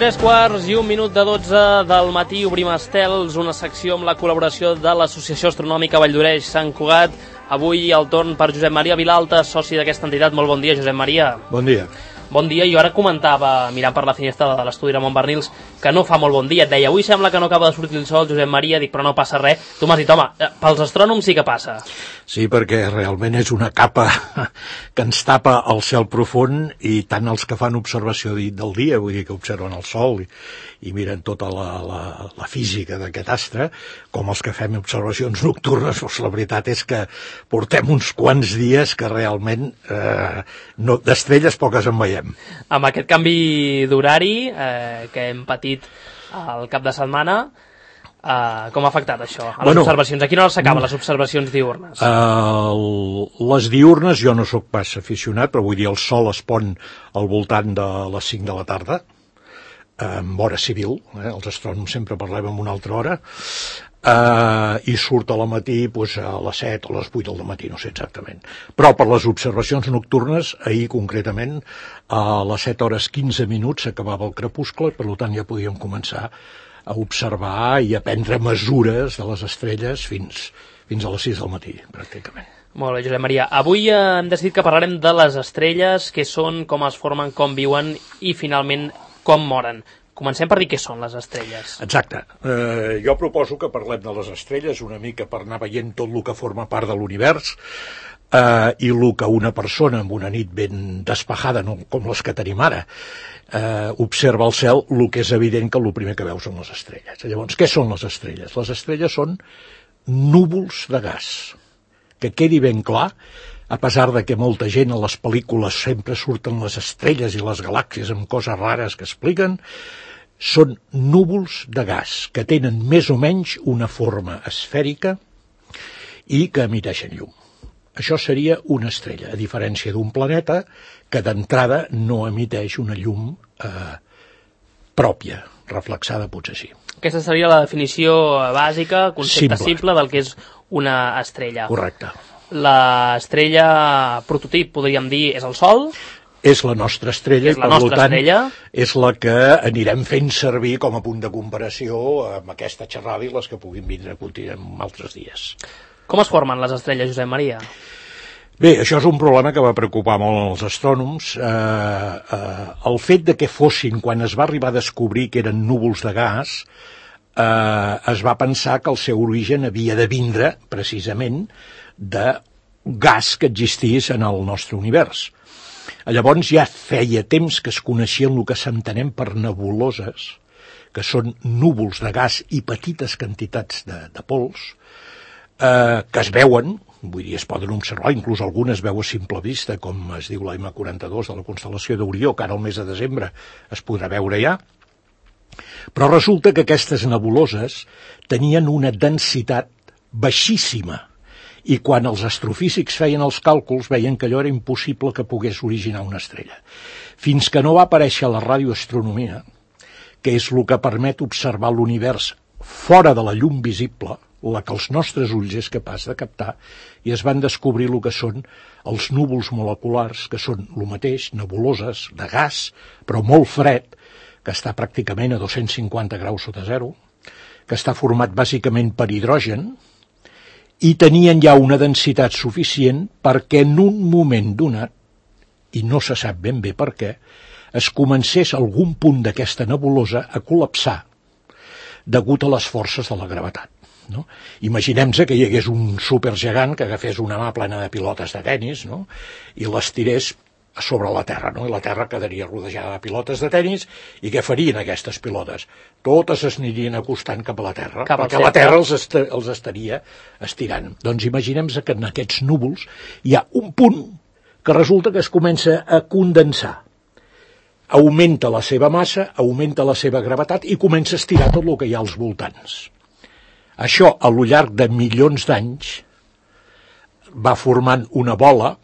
3:01 de 12 del matí obrim Estels, una secció amb la col·laboració de l'Associació Astronòmica Valldoreix Sant Cugat. Avui el torn per Josep Maria Vilalta, soci d'aquesta entitat. Molt bon dia, Josep Maria. Bon dia. Bon dia, jo ara comentava, mirant per la finestra de l'estudi Ramon Barnils, que no fa molt bon dia. Et deia, avui sembla que no acaba de sortir el sol, Josep Maria, dic, però no passa res. Tu m'has dit, home, pels astrònoms sí que passa. Sí, perquè realment és una capa que ens tapa el cel profund, i tant els que fan observació del dia, vull dir que observen el sol i miren tota la física d'aquest astre, com els que fem observacions nocturnes, doncs la veritat és que portem uns quants dies que realment d'estrelles poques en veiem. Amb aquest canvi d'horari que hem patit al cap de setmana, com ha afectat això a les observacions? A quina hora s'acaben les observacions diurnes? Les diurnes, jo no sóc pas aficionat, però vull dir, el sol es pon al voltant de les 5 de la tarda, amb hora civil, els astrònoms sempre parlem en una altra hora, i surt a la matí a les 7 o les 8 del matí, no sé exactament. Però per les observacions nocturnes, ahir concretament, a les 7:15 s'acabava el crepuscle, per tant ja podíem començar a observar i a prendre mesures de les estrelles fins a les 6 del matí, pràcticament. Molt bé, Josep Maria. Avui hem decidit que parlarem de les estrelles, què són, com es formen, com viuen i, finalment, com moren. Comencem per dir què són les estrelles. Exacte. Jo proposo que parlem de les estrelles una mica per anar veient tot el que forma part de l'univers i el que una persona amb una nit ben despejada, no com les que tenim ara, observa al cel, el que és evident que el primer que veu són les estrelles. Llavors, què són les estrelles? Les estrelles són núvols de gas. Que quedi ben clar, a pesar de que molta gent a les pel·lícules sempre surten les estrelles i les galàxies amb coses rares que expliquen, són núvols de gas que tenen més o menys una forma esfèrica i que emiteixen llum. Això seria una estrella, a diferència d'un planeta que d'entrada no emiteix una llum pròpia, reflexada potser sí. Aquesta seria la definició bàsica, concepte simple del que és una estrella. Correcte. L'estrella prototip, podríem dir, és el Sol. És la nostra estrella i, per tant, és la que anirem fent servir com a punt de comparació amb aquesta xerrada i les que puguin vindre a continuar altres dies. Com es formen les estrelles, Josep Maria? Bé, això és un problema que va preocupar molt els astrònoms. El fet de que fossin, quan es va arribar a descobrir que eren núvols de gas, es va pensar que el seu origen havia de vindre, precisament, de gas que existís en el nostre univers. Llavors ja feia temps que es coneixien el que s'entenem per nebuloses, que són núvols de gas i petites quantitats de pols, que es veuen, vull dir, es poden observar, inclús algunes veu a simple vista, com es diu la M42 de la constel·lació d'Orió, que ara al mes de desembre es podrà veure ja, però resulta que aquestes nebuloses tenien una densitat baixíssima, i quan els astrofísics feien els càlculs veien que allò era impossible que pogués originar una estrella. Fins que no va aparèixer la radioastronomia, que és el que permet observar l'univers fora de la llum visible, la que els nostres ulls és capaç de captar, i es van descobrir el que són els núvols moleculars, que són el mateix, nebuloses de gas, però molt fred, que està pràcticament a 250 graus sota zero, que està format bàsicament per hidrogen, i tenien ja una densitat suficient perquè en un moment donat, i no se sap ben bé per què, es comencés algun punt d'aquesta nebulosa a col·lapsar degut a les forces de la gravetat. No? Imaginem-se que hi hagués un supergegant que agafés una mà plena de pilotes de tenis, no? I les tirés a sobre la Terra, no? I la Terra quedaria rodejada de pilotes de tenis, i què farien aquestes pilotes? Totes es anirien acostant cap a la Terra, perquè la Terra els estaria estirant. Doncs imaginem-se que en aquests núvols hi ha un punt que resulta que es comença a condensar. Augmenta la seva massa, augmenta la seva gravetat i comença a estirar tot el que hi ha als voltants. Això, a lo llarg de milions d'anys, va formant una bola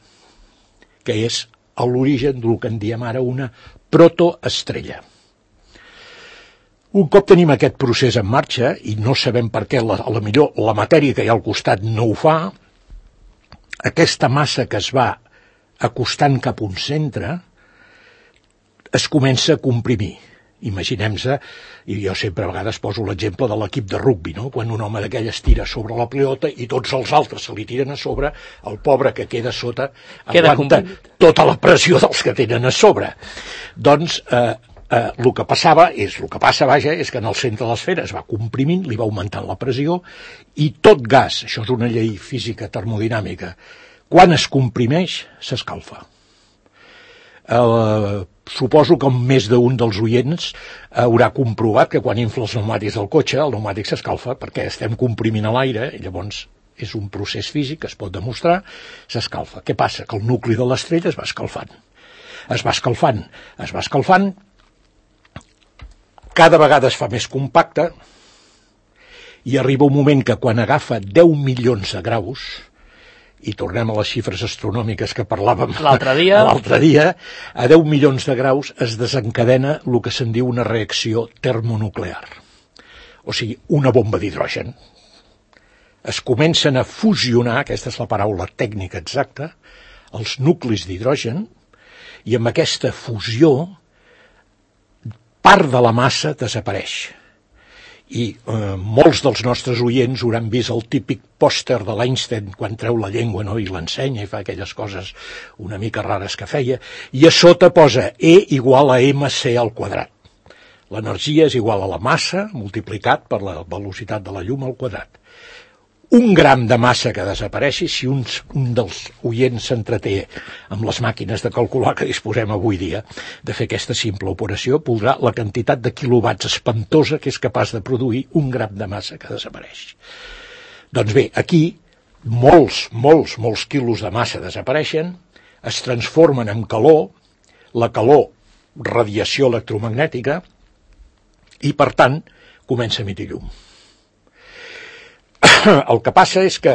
que és a l'origen del que en diem ara una protoestrella. Un cop tenim aquest procés en marxa, i no sabem per què, a la millor la matèria que hi ha al costat no ho fa, aquesta massa que es va acostant cap a un centre es comença a comprimir Imaginem-se, i jo sempre a vegades poso l'exemple de l'equip de rugbi, no? Quan un home d'aquell es tira sobre la pilota i tots els altres se li tiren a sobre, el pobre que queda sota aguanta tota la pressió dels que tenen a sobre. Doncs el que passa, és que en el centre de l'esfera es va comprimint, li va augmentant la pressió, i tot gas, això és una llei física termodinàmica, quan es comprimeix, s'escalfa. Suposo que més d'un dels oients haurà comprovat que quan infla els pneumàtics del cotxe, el pneumàtic s'escalfa perquè estem comprimint l'aire, i llavors és un procés físic que es pot demostrar, s'escalfa. Què passa? Que el nucli de l'estrella es va escalfant, cada vegada es fa més compacte, i arriba un moment que quan agafa 10 milions de graus, i tornem a les xifres astronòmiques que parlàvem l'altre dia, a 10 milions de graus es desencadena el que se'n diu una reacció termonuclear, o sigui, una bomba d'hidrogen. Es comencen a fusionar, aquesta és la paraula tècnica exacta, els nuclis d'hidrogen, i amb aquesta fusió part de la massa desapareix. I molts dels nostres oients hauran vist el típic pòster de l'Einstein quan treu la llengua, no? I l'ensenya i fa aquelles coses una mica rares que feia, i a sota posa E igual a mc al quadrat. L'energia és igual a la massa multiplicat per la velocitat de la llum al quadrat. Un gram de massa que desapareixi, si un dels oients s'entreté amb les màquines de calcular que disposem avui dia de fer aquesta simple operació, podrà la quantitat de quilowatts espantosa que és capaç de produir un gram de massa que desapareix. Doncs bé, aquí molts quilos de massa desapareixen, es transformen en calor, la calor, radiació electromagnètica, i per tant comença a emitir llum. El que passa és que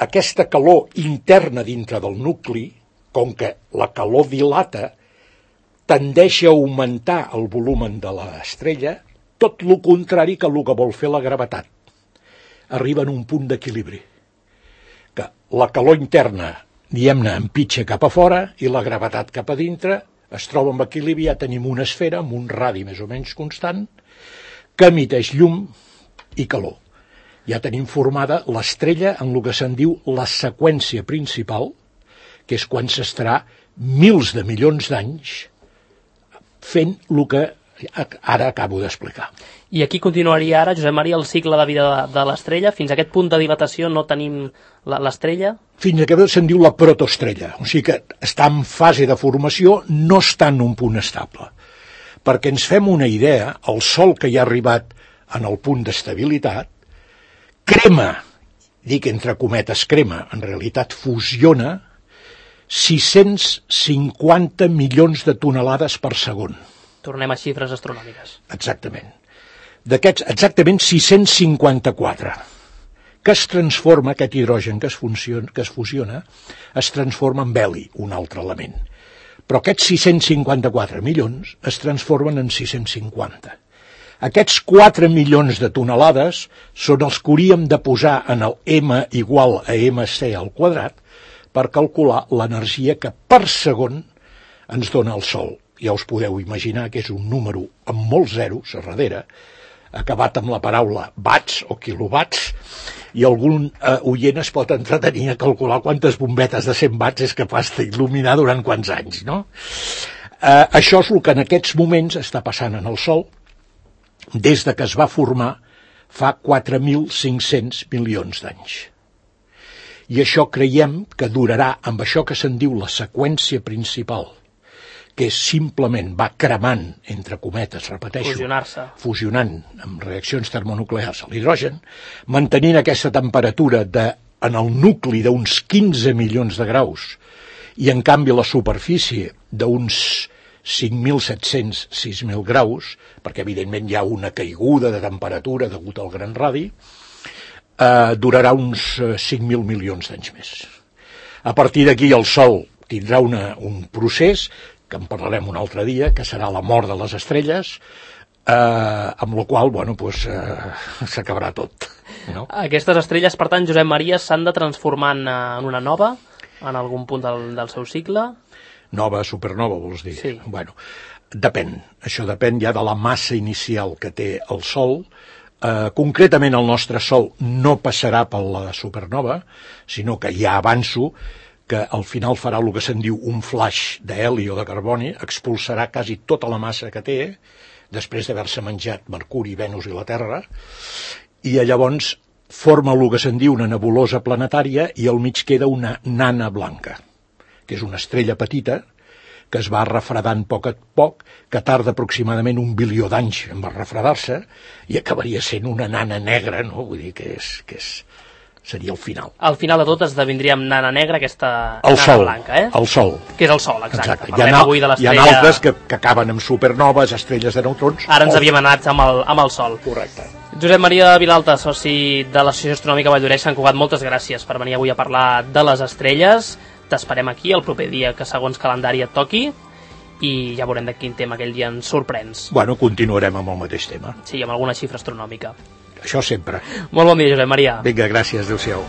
aquesta calor interna dintre del nucli, com que la calor dilata, tendeix a augmentar el volum de l'estrella, tot el contrari que el que vol fer la gravetat. Arriba en un punt d'equilibri, que la calor interna, diguem-ne, empitja cap a fora i la gravetat cap a dintre, es troba en equilibri, ja tenim una esfera amb un radi més o menys constant, que emiteix llum i calor. Ja tenim formada l'estrella en el que se'n diu la seqüència principal, que és quan s'estarà mils de milions d'anys fent el que ara acabo d'explicar. I aquí continuaria ara, Josep Maria, el cicle de vida de l'estrella? Fins a aquest punt de dilatació no tenim l'estrella? Fins a aquest se'n diu la protoestrella, o sigui que està en fase de formació, no està en un punt estable. Perquè ens fem una idea, el Sol que ja ha arribat en el punt d'estabilitat, crema, dic entre cometes crema, en realitat fusiona 650 milions de tonelades per segon. Tornem a xifres astronòmiques. Exactament. D'aquests, exactament 654, que es transforma, aquest hidrogen que es fusiona, es transforma en heli, un altre element. Però aquests 654 milions es transformen en 650. Aquests 4 milions de tonelades són els que hauríem de posar en el m igual a mc al quadrat per calcular l'energia que per segon ens dona el Sol. Ja us podeu imaginar que és un número amb molts zeros a darrere, acabat amb la paraula watts o quilowatts, i algun oient es pot entretenir a calcular quantes bombetes de 100 watts és capaç d'il·luminar durant quants anys, no? Això és el que en aquests moments està passant en el Sol, des de que es va formar fa 4.500 milions d'anys. I això creiem que durarà amb això que se'n diu la seqüència principal, que simplement va cremant, entre cometes, repeteixo, fusionant amb reaccions termonuclears a l'hidrogen, mantenint aquesta temperatura en el nucli d'uns 15 milions de graus i en canvi la superfície d'uns 5.700, 6.000 graus, perquè evidentment hi ha una caiguda de temperatura degut al gran radi, durarà uns 5.000 milions d'anys més. A partir d'aquí el Sol tindrà un procés, que en parlarem un altre dia, que serà la mort de les estrelles, amb la qual, s'acabarà tot. No? Aquestes estrelles, per tant, Josep Maria, s'han de transformar en una nova, en algun punt del seu cicle? Nova, supernova, vols dir? Sí. Depèn. Això depèn ja de la massa inicial que té el Sol. Concretament el nostre Sol no passarà per la supernova, sinó que ja avanço que al final farà el que se'n diu un flash d'heli o de carboni, expulsarà quasi tota la massa que té, després d'haver-se menjat Mercuri, Venus i la Terra, i llavors forma el que se'n diu una nebulosa planetària i al mig queda una nana blanca, que és una estrella petita que es va refredant a poc, que tarda aproximadament 1 bilió d'anys en va refredar-se i acabaria sent una nana negra, no? Vull dir que seria el final. Al final de tot esdevindria amb nana negra aquesta el nana Sol, blanca, el Sol. Que és el Sol, exacte. Hi ha altres que acaben amb supernoves, estrelles de neutrons. Ara ens havíem anat amb el Sol. Correcte. Josep Maria Vilalta, soci de l'Associació Astronòmica Vall d'Oreix Sant Cugat, moltes gràcies per venir avui a parlar de les estrelles. T'esperem aquí el proper dia que segons calendari et toqui i ja veurem de quin tema aquell dia ens sorprens. Bueno, continuarem amb el mateix tema. Sí, amb alguna xifra astronòmica. Això sempre. Molt bon dia, Josep Maria. Vinga, gràcies, adéu-siau.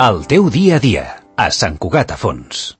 El teu dia a dia, a Sant Cugat a Fons.